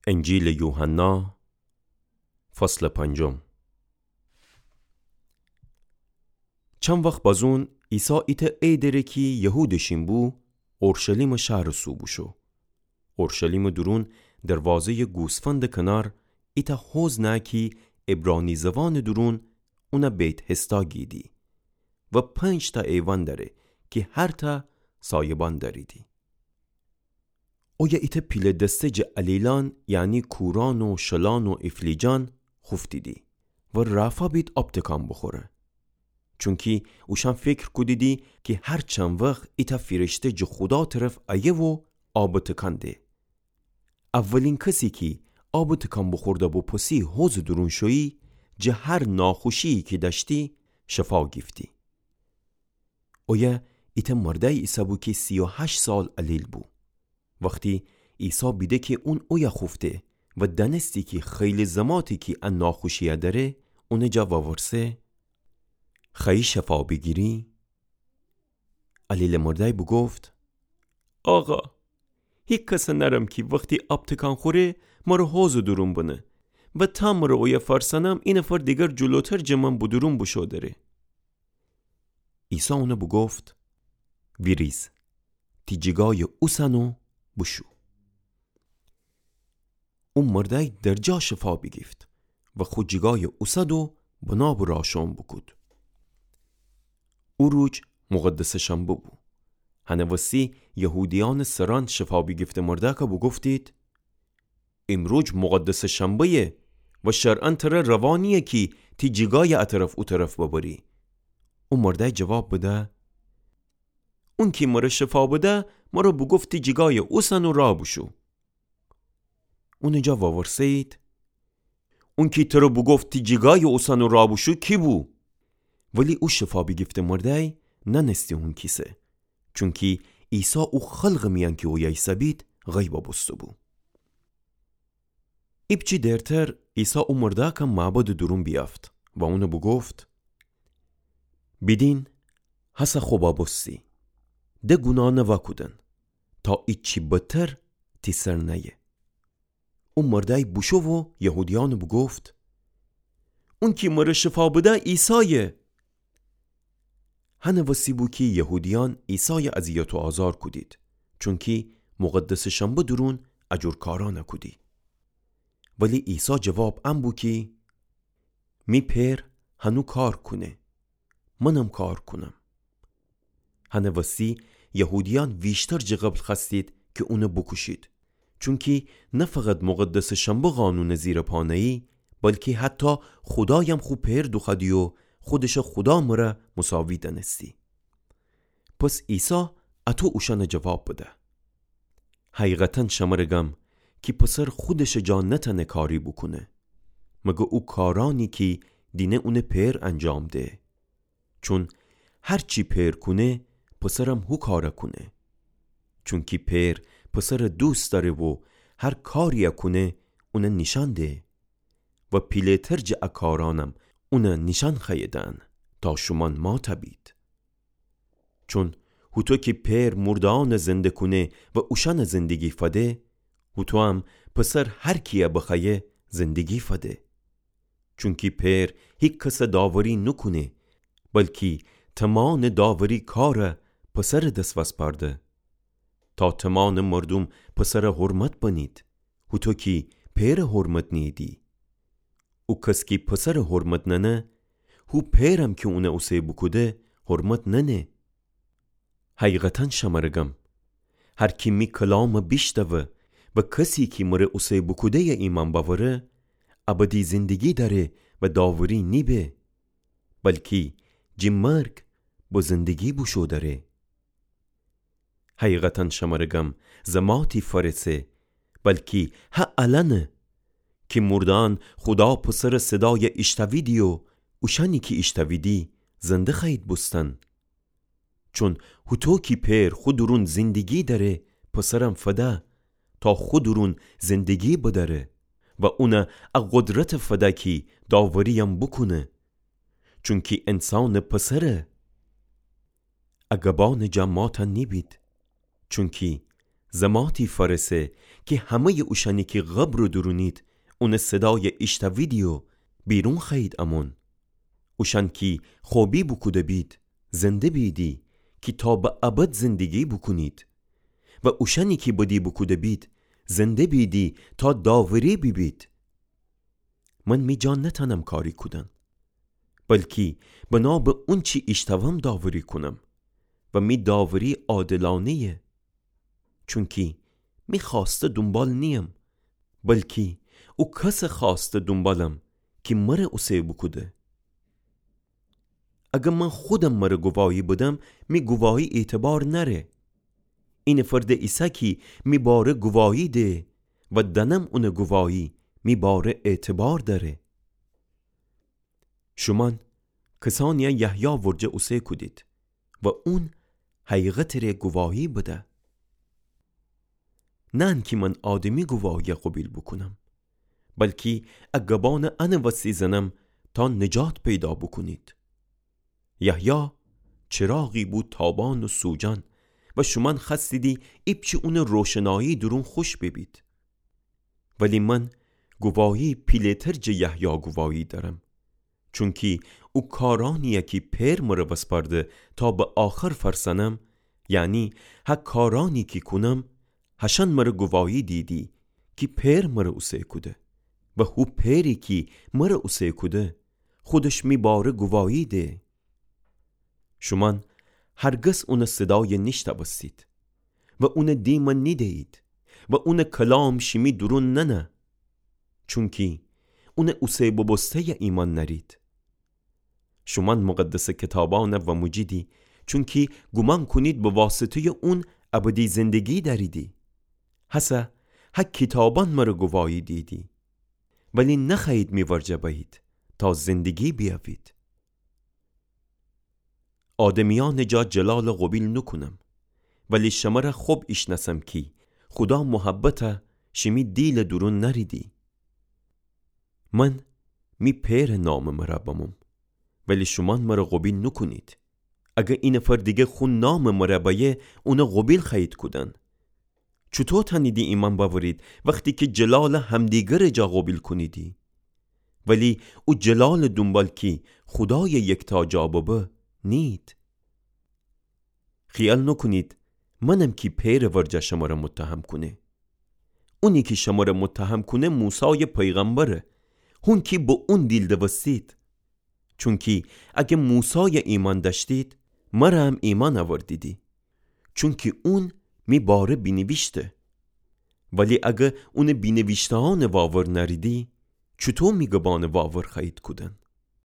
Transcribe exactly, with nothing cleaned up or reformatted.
انجیلٚ یوحنا، فصلٚ پنجم. چند وخت بازون عیسی ایتأ ای دره کی یهودٚ شین بو، اورشلیمٚ شهرٚ سو بوشو. اورشلیمٚ دورون دروازه‌یٚ گوسفندٚ کنار ایتأ حوض نه کی عبرانی زوانٚ دورون اونَ بیت‌حسدا گیدی و پنج‌تأ ایوأن دأره کی هرتأ سایبان دأریدی. اویه ایتأ پیله دسته جٚه علیلأن، یعنی کورأن و شلأن و ایفلیجأن خوفتیدی و رافا بید آب تکان بوخوره. چونکی اوشأن فکر کودیدی کی هر چند وخت ایتأ فیرشته جٚه خودا طرف ایه و آبَ تکان ده. اولین کسی کی آبٚ تکان بوخورده بو پسی حوضٚ دورون شویی، جٚه هر ناخوشی‌یی کی دأشتی شفا گیفتی. اویه ایتأ مردأی ایسه‌بو کی سی و هشت سال علیل بو. وختی عیسی بیده کی اون اویه خوفته و دأنستی کی خیلی زماته کی ا ناخوشی‌یه دأره، اونٚ جا وورسه: خوأیی شفا بیگیری؟ علیلٚ مردأی بوگفت: آقا، هیکسَ نأرم کی وختی آب تکان خوره، مرَ حوضٚ دورون بنه و تا مرَ اویه فأرسأنم، اینفر دیگر جلوتر جٚه من بودورون بوشو دره. عیسی اونَ بوگفت: ویریز، تی جیگایَ اوسن و بوشو. او مردأی درجا شفا بیگیفت و خو جیگایَ اوسد و بنابٚ راه شوئون بوکود. او روج مقدسٚ شنبه بو. هنٚ وستی یهودیأنٚ سرأن شفا بیگیفته مردأکَ بوگفتید: ایمروج مقدسٚ شنبه‌یه و شرعاً ترَ روا نییه کی تی جیگایَ ا طرف او طرف ببری. او مردأی جواب بده: اونکی مرَ شفا بده، مرَ بوگفت تی جیگایَ اوسن و راه بوشو. اونٚ جا وورسه‌یید: اونکی ترَ بوگفت تی جیگایَ اوسن و راه بوشو کی بو؟ ولی او شفا بیگیفته مردأی نأنستی اون کیسه، چونکی عیسی او خلقٚ میأن کی اویه ایسه‌بید غیبَ بوسته‌بو. ایپچی دیرتر عیسی او مردأکَ معبدٚ دورون بیأفت و اونَ بوگفت: بیدین، هسه خو ببوستی، ده گوناه نوا کودن، تا ایچی بدتر تی سر نأیه. او مردأی بوشو و یهودیأنَ بوگفت: اونکی مرَ شفا بده عیسایه. هنٚ وسی بو کی یهودیأن عیسایَ اذیت و آزار کودید، چونکی مقدسٚ شنبه دورون ا جور کارأنَ کودی. ولی عیسی جواب ان بو کی: می پئر هنو کار کونه، منم کار کونم. هنٚ وسی یهودیأن ویشتر جٚه قبل خوأستید کی اونَ بوکوشید، چونکی نه فقط مقدسٚ شنبه قانونٚ زیر پا نأیی، بلکی حتی خودایم خو پئر دوخوأدی و خودشَ خودا مرَ مساوی دأنستی. پس عیسی اطو اوشأنَ جواب بده: حقیقتاً شمرَ گم کی پسر خودشٚ جا نتأنه کاری بوکونه، مگر او کارأنی کی دینه اونٚ پئر انجام ده. چون هر چی پئر کونه، پسرم هو کارَ کونه. چونکی پئر پسرَ دوست دأره و هر کاری‌یَ کونه، اونَ نیشأن ده و پیله‌تر جٚه ا کارأنم اونَ نیشأن خوأیه دهن، تا شومأن مات بید. چون هوطو کی پئر مورده‌یأنَ زنده کونه و اوشأنَ زندگی فده، هوطویم پسر هر کی‌یَ بخوأیه زندگی فده. چونکی پئر هیکسَ داوری نوکونه، بلکی تمامٚ داوری کارَ پسرٚ دس وسپارده، تا تمامٚ مردوم پسرَ حرمت بنید، هوطو کی پئرَ حرمت نیییدی. او کس کی پسرَ حرمت ننه، هو پئرم کی اونَ اوسه بوکوده حرمت ننه. حقیقتاً شمرَ گم، هر کی می کلامَ بیشنوه و کسی کی مرَ اوسه بوکوده‌یَ ایمأن بأوره، ابدی زندگی دأره و داوری نیبه، بلکی جٚه مرگ به زندگی بوشو دأره. حقیقتاً شمرَ گم، زماتی فأرسه، بلکی هه الأنه، کی مورده‌یأن خودا پسرٚ صدایَ ایشتویدی و اوشأنی کی ایشتویدی زنده خوأیید بوستن. چون هوطو کی پئر خو دورون زندگی دأره، پسرم فده، تا خو دورون زندگی بدأره و اونَ ا قدرتَ فده کی داوری‌یم بوکونه. چونکی انسانٚ پسرَ ا گبأنٚ جا مات نیبید. چونکی زماتی فأرسه کی همه‌یٚ اوشأنی کی قبرٚ دورونید اونٚ صدایَ ایشتویدی و بیرون خوأیید امون. اوشأن کی خوبی بوکوده بید، زنده بیدی کی تا به ابد زندگی بوکونید. و اوشأنی کی بدی بوکوده بید، زنده بیدی تا داوری بیبید. من می جا نتأنم کاری کودن، بلکی بنا به اونچی ایشتوم داوری کونم و می داوری عادلانه‌یه. چونکی می خوأسته دونبال نییم، بلکی او کسٚ خوأسته دونبالم کی مر اوسه بوکوده. اگر من خودم مر گواهی بدم، می گواهی اعتبار نأره. اینفر د ایسه کی می باره گواهی ده و دأنم اونٚ گواهی می باره اعتبار دأره. شومأن کسأنیَ یحیی ورجه اوسه کودید و اون حقیقتٚ ره گواهی بده. نه انکی من آدمی گواهیَ قوبیل بوکونم، بلکی ا گبأنَ انٚ وستی زنم تا نجات پیدا بوکونید. یحیی چراغی بو تابأن و سوجأن و شومأن خوأستیدی ایپچه اونٚ روشنایی دورون خوش بیبید. ولی من گواهی پیله‌تر جٚه یحیی گواهی دأرم، چونکی او کارأنی‌یَ کی پئر مر وسپأرده تا به آخر فرسأنم، یعنی هه کارأنی کی کونم، هشأن مر گواهی دیدی کی پئر مر اوسه کوده و هو پئری کی مر اوسه کوده، خودش می باره گواهی ده. شومأن هرگز اونٚ صدایَ نیشتوستید و اونٚ دیمَ نیده‌یید و اونٚ کلام شیمی دورون ننه، چونکی اونٚ اوسه بوبوسته‌یَ ایمأن نأرید. شومأن مقدسٚ کیتابأنَ واموجیدی، چونکی گومان کونید به واسطه‌یٚ اون ابدی زندگی دأریدی. هسه هه کیتابأن مر گواهی دیدی، ولی نخوأیید می ورجه بأیید تا زندگی بیأوید. آدمیأنٚ جا جلالَ قوبیل نوکونم، ولی شمره خب ایشنأسم کی خودا محبتَ شیمی دیلٚ دورون نأریدی. من می پئرٚ نامٚ مره بموم، ولی شومأن مر قوبیل نوکونید. اگر اینفر دیگر خو نامٚ مره بأیه، اون قوبیل خوأیید کودن. چوطو تأنیدی ایمأن بأورید وختی کی جلالَ همدیگرٚ جا قوبیل کونیدی؟ ولی او جلالٚ دونبال کی خودایٚ یکتا جا ببه، نیید. خیال نوکونید منم کی پئرٚ ورجه شمره متهم کونه. اونی کی شمره متهم کونه موسایٚ پیغمبره. هون کی به اون دیل دوستید. چونکی اگه موسایَ ایمأن دأشتید، مرَ هم ایمأن اوردیدی. چونکی اون می باره بینیویشته. ولی اگه اونٚ بینیویشته‌یأنَ واور نأریدی، چوطو می گبأنَ واور خوأیید کودن؟